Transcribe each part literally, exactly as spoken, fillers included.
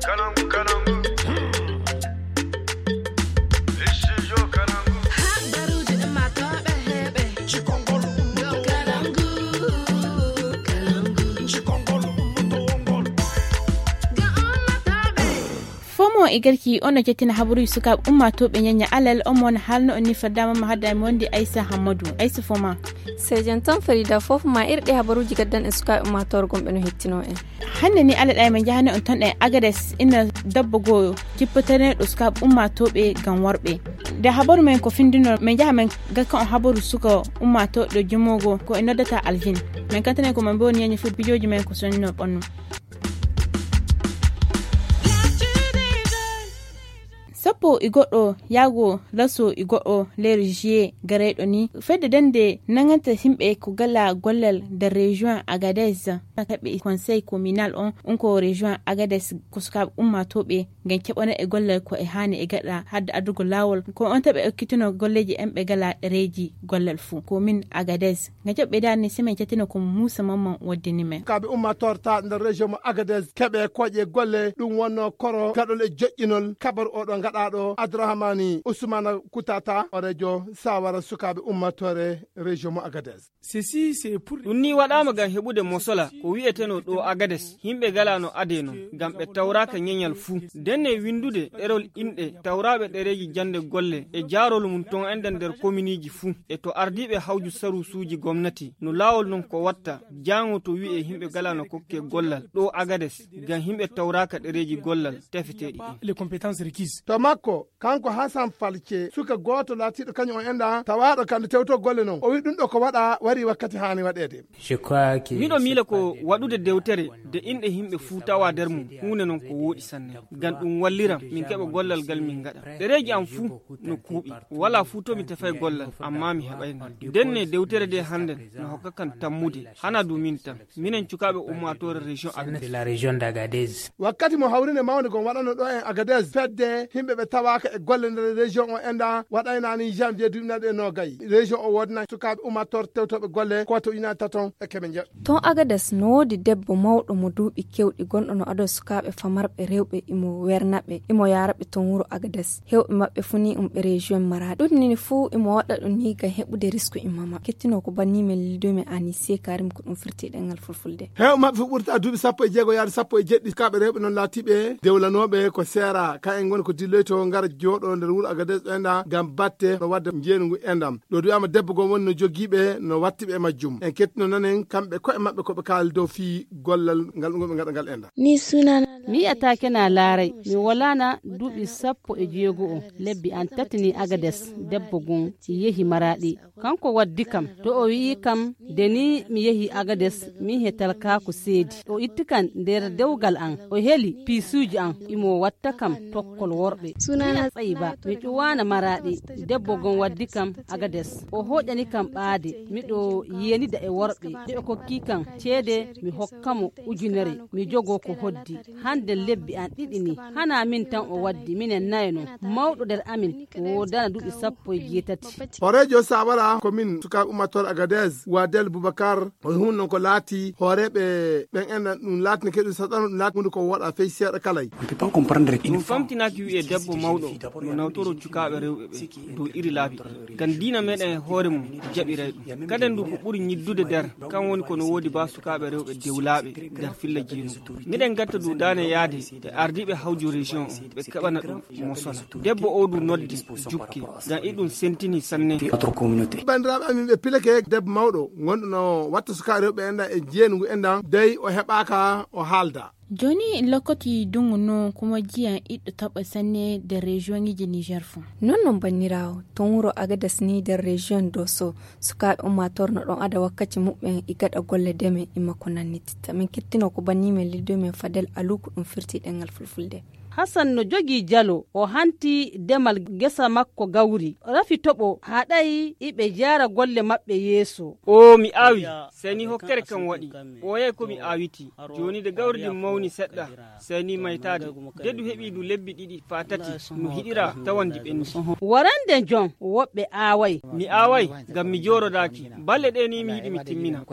Fomo e garki on no jettina habaruji sukaaɓe ummaatooɓe ñaña alal on mo no haalno on ni faddaama ma hadda mi wondi aysa hammadu aysa foma. Sejen tan farida fof ma irɗe habaruji gaddan e sukaaɓe ummaatoore gomɓe no hettino en. Hannde ni alal ay ma njahani on ton e agades ina dabba goo cippatanee ɗo sukaaɓe ummaatooɓe ngam worɓe. Nde habaru men ko findino men njaha men gakka on habaru suka ummaatooɗo jumoogo ko e noddata alvin. Men kantane ko men mbewni ñañi fof bijooji men ko sonnino ɓannu. Sappo e goɗɗo yaago laso e goɗɗo leyre juillet gareyɗo ni fedde dande nanganta yimɓe ko gala gollal nder région agadez. Kaɓe conseil communal on on ko région agadez ko sukaaɓe ummatooɓe ngam keɓana e gollal ko e haani e gaɗa hadde addugo laawol ko on taɓe okkitino golleeji en ɓe gala ɗereeji gollal fuu ko min agadez. Nga jaɓɓe daal ni simen cattino ko muusa mamman waddini men. Kaaɓe ummatorta nder région mo agadez keɓe koƴe golle ɗum wonno koro gaɗol e joƴƴinol kabaru oɗo gaɗaɗo abdourahmani ousmana kutata o rejo sawara sukaaɓe ummatore région mo agadez. Ceci c'est pour ɗum ni waɗaama ngam heɓude mosola ko wi'eteno ɗo agades yimɓe gala no ade non ngam ɓe tawraka ñeñal fuu. Ndenne windude ɗerol inɗe tawraaɓe ɗereeji jannde golle e jaarol mum ton enden nder kominiji fuu e to ardiiɓe hawju sarusuuji gomnati no laawol non ko watta jaango to wi'e yimɓe gala no kokke gollal ɗo agades ngam yimɓe tawraaka ɗereeji gollal tefeteeɗi ɗin. Les compétences requises. To makko kanko hasan falce suka gooto laatiiɗo kañum on enɗa tawaaɗo kamɓe tewto golle non o wi ɗum ɗo ko waɗa wari wakkati haani waɗeede. Miɗo miila ko waɗude dewtere de inɗe yimɓe fuu tawa nder mum huunde non ko wooɗi sanne ngam ɗum walliram min keɓa gollal ngal min ngaɗa ɗereeji am fuu no kuuɓi walaa fuu to mi tefay gollal amma mi heɓay ngal. Ndenne dewtere de hannden no hokka kan tammude hana du min tan minen cukaaɓe ummaatoore région agadez. Wakkati mo hawrinde mawnde gon waɗano ɗo en agadez fedde yimɓe ɓe tawaaka e golle nder région o enɗa waɗaynani janvier duuɓi naɗe nogay région o woodana sukaaɓe ummaatoore tewtoɓe golle ko to ujunaaji taton e keɓe njeɗ. Ton agades no woodi debbo mawɗo mo duuɓi kewɗi gonɗo no ado sukaaɓe famarɓe rewɓe imo wernaɓe imo yaraɓe ton wuro agades hewɓe maɓɓe fuu ni umɓe région maraɗi ɗum nini fuu imo waɗa ɗum ni ngam heɓude risku imma maɓɓe kettino ko banni men lido men anise karim ko ɗum firti ɗengal fulfulde. Heew maɓɓe fof ɓurta duuɓi sappo e jeego yaade sappo e jeɗɗi kaɓe rewɓe noon laatiɓe dewlanooɓe ko seera ka en ngoni ko dilloyto ngara jooɗo nder wuro agades ɗoyɗa ngam batte no wadde njeenu ngu endam ɗo duwama debbo goo woni no jogiiɓe no wattiɓe e majjum en kettino nanen kamɓe koye maɓɓe koɓe kaali dow fii gollal ngal ɗum ɓe ngaɗa ngal endam. Mi yi'ataake na laaray mi walaana duuɓi sappo e jeego o lebbi an tati ni agades debbo goo yehi maraɗi. Kanko waddi kam to o wi'i kam de ni mi yehi agades min he talkaaku seedi o itti kam nder dewgal am o heli piisuuji am imo watta kam tokkol worɓe. Miya tsayi ba mi ƴuwaana maraɗi debbo gon waddi kam agades o hoƴani kam ɓaade miɗo yenida e worɓe de o kokki kam ceede mi hokka mo ujunere mi jogo ko hoddi. Hande lebbi an ɗiɗi ni hana min tan o waddi minen nayo non mawɗo nder amin o wodana duuɓi sappo e jeetati. Horeejo sawara ko min sukaaɓe ummatore agadez wadel boubacar o hunno ko laati hooreeɓe ɓen en ɗum laatini keɗum saɗano ɗum laati hunde ko woɗa fey seeɗa kalay. Ɗum famtinaaki wi'e debbo mawɗo no nawtoro cukaaɓe rewɓe ɓe dow iri laabi ɗi ngam diina meɗen e hoore mum jaɓiray ɗum kaden ndu ko ɓuri ñiddude nder kan woni ko no woodi ba sukaaɓe rewɓe dewlaaɓe nder filla jeenugu miɗen gatta duudaane yaade e ardiiɓe hawju région o ɓe keɓana ɗum mosola debbo o du noddi jukke ngam iɗum sentini sanne. Banndiraaɓe amin ɓe pilake debbo mawɗo gonɗo no watta sukaaɓe rewɓe enɗan e jeenugu enɗan dey o heɓaaka o haalda. Jooni lokkoti dungu no kuma jiyan iɗɗo taɓa sanne de region iji niger fo. Non non banniraawo ton wuro agadas ni nder region doso sukaaɓe ummator no ɗon ada wakkati muɓɓen e gaɗa golle deme e makko nannititta min kettino ko banni men liddo men fadel aluku ɗum firti ɗengal fulfulde. Hasan no jogii jalo, o hanti demal gesa makko gawri. Rafi toɓo haɗay iɓe jaara golle maɓɓe yeeso. O mi aawi, sey ni hokkere kan waɗi. O yehi ko mi aawiti. Jooni de gawri ndin mawni seɗɗa, sey ni maytaade. De du heɓi du lebbi ɗiɗi faa tati, no hiɗira tawandi ɓenni. Warande jon woɓɓe aaway. Mi aaway, ngam mi jooɗodaaki. Balɗe ɗe ni mi yiɗi mi timmina.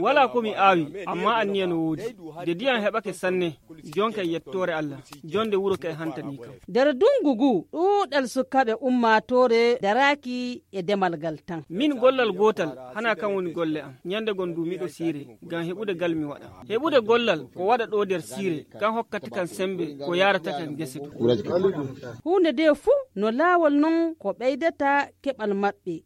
Walaa ko mi aawi, amma anniya no woodi. De diyam heɓake sanne, jonka e yettoore Allah. Jonde wuro kay hantanii kam. Nder dungu ngu, ɗuuɗal sukaaɓe ummaatoore daraaki e demal ngal tan. Min gollal gootal, hana kan woni golle am. Ñande gon du miɗo siire, ngam heɓude gal mi waɗa. Heɓude gollal ko waɗa ɗo nder siire, kan hokkata kan sembe ko yaarata kan gese du. Huunde nde fuu no laawol non ko ɓeydata keɓal maɓɓe.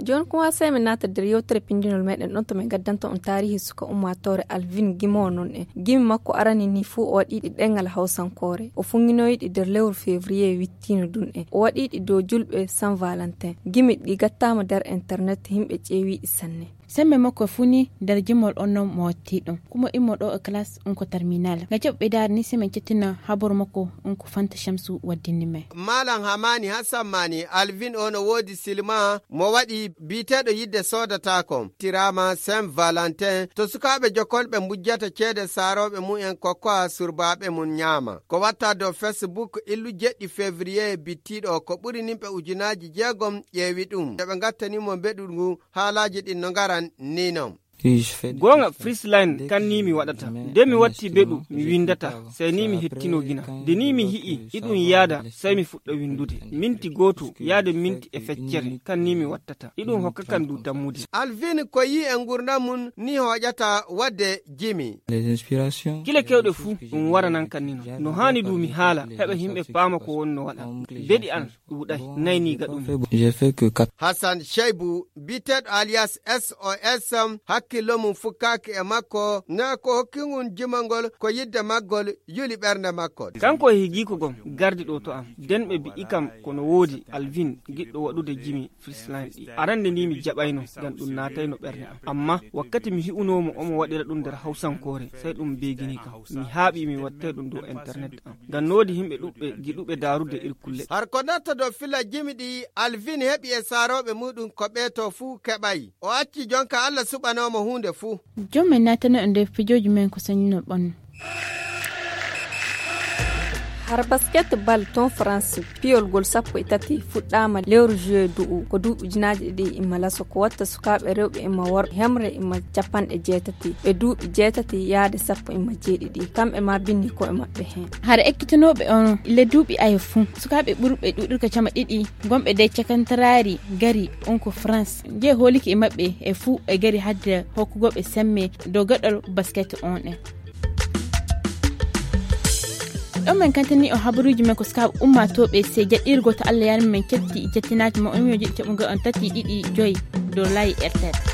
Jooni kuma sey min naata nder yewtere pinndinol meɗen ɗon to min gaddanta on taarihi suka ummaatoore Alvin Gimo non en. Gimi makko arani ni fuu o waɗi ɗi ɗengal hawsankoore. O funnginoyi ɗi nder lewru février wittiino ɗum en. O waɗi ɗi dow julɓe Saint Valentin. Gimi ɗi gattaama nder internet, yimɓe ƴeewi ɗi sanne. Sembe makko fuu ni nder jimol on non mo watti ɗum. Kuma immo ɗo e classe on ko terminal. Nga jaɓɓe daari ni sey min cettina habaru makko on ko Fanta Shamsu waddini men. Malam Hamani Hassan Mani Alvin o no woodi silma mo waɗi biiteeɗo yidde soodataako. Tiraama Saint Valentin to sukaaɓe jokolɓe mbujjata ceede saarooɓe mumen kokkoa surbaaɓe mum ñaama. Ko watta dow Facebook illu jeɗɗi février bittiiɗo ko ɓuri nimɓe ujunaaji jeegom ƴeewi ɗum. Yo ɓe ngattani mo mbeɗu ngu haalaaji ɗin no ngaran ni non. Goonga, Freeline kan ni mi waɗata. Nde mi watti beɗu, mi winndata, sey ni mi hettino gina. Nde ni mi hi'i iɗum yaada, sey mi fuɗɗa winndude. Minti gooto yaade minti e feccere, kan ni mi wattata. Iɗum hokka kan du tammude. Alvin ko yi e ngurndan mum ni hooƴata waɗde jimi. Kile kewɗe fuu, ɗum waranan kan ni non. No haani du mi haala, heɓa yimɓe paama ko wonno waɗa. Beɗi an, ɗuuɗay, nayniiga ɗum. Hassan Shaibu, biteeɗo alias S O S, hakkillo mum fukkaaki e makko, na ko hokki ngun jimangol ko yidde maggol yuli ɓernde makko. Kanko e higiiko gon, gardi ɗo to am. Den ɓe bi'i kam ko no woodi, Alvin, giɗɗo waɗude jimi Freeline ɗi. Arande ni mi jaɓayno, ngam ɗum naatayno ɓernde am. Amma wakkati mi hi'unoo mo omo waɗira ɗum nder hawsankoore, sey ɗum beegini kam. Mi haaɓi mi wattay ɗum dow internet am. Ngam no woodi yimɓe ɗuɓɓe giɗuɓe daarude ir kulle. Har ko natta dow fila jimi ɗi Alvin heɓi e saarooɓe muɗum ko ɓee to fuu keɓay. O acci jonka Allah suɓanoo mo huunde fuu. Joom men naatano e nder pijooji men ko sañino ɓannu. Har basket bal ton France, piyol gol sappo e tati fuɗɗaama lewru juillet du'u, ko duuɓi ujunaaji ɗiɗi imma laso, ko watta sukaaɓe rewɓe imma worɓe hemre imma capanɗe jeetati, ɓe duuɓi jeetati yaade sappo imma jeeɗiɗi, kamɓe ma binni ko'e maɓɓe heen. Hara ekkitinooɓe on le duuɓi ayo fuu, sukaaɓe ɓurɓe ɗuuɗirka cama ɗiɗi, gonɓe dey cakantaraari gari on ko France, nje hooliki e maɓɓe e fuu e gari hadde hokkugooɓe semme dow gaɗol basket on en. Ɗon men kantini o habaruuji men ko sukaaɓe ummaatooɓe, sey jaɗɗiiri gooto Allah yarmi men cetti jettinaaji mo on yo jiɗi caɓugol on tati ɗiɗi joyi dow laayi R T L.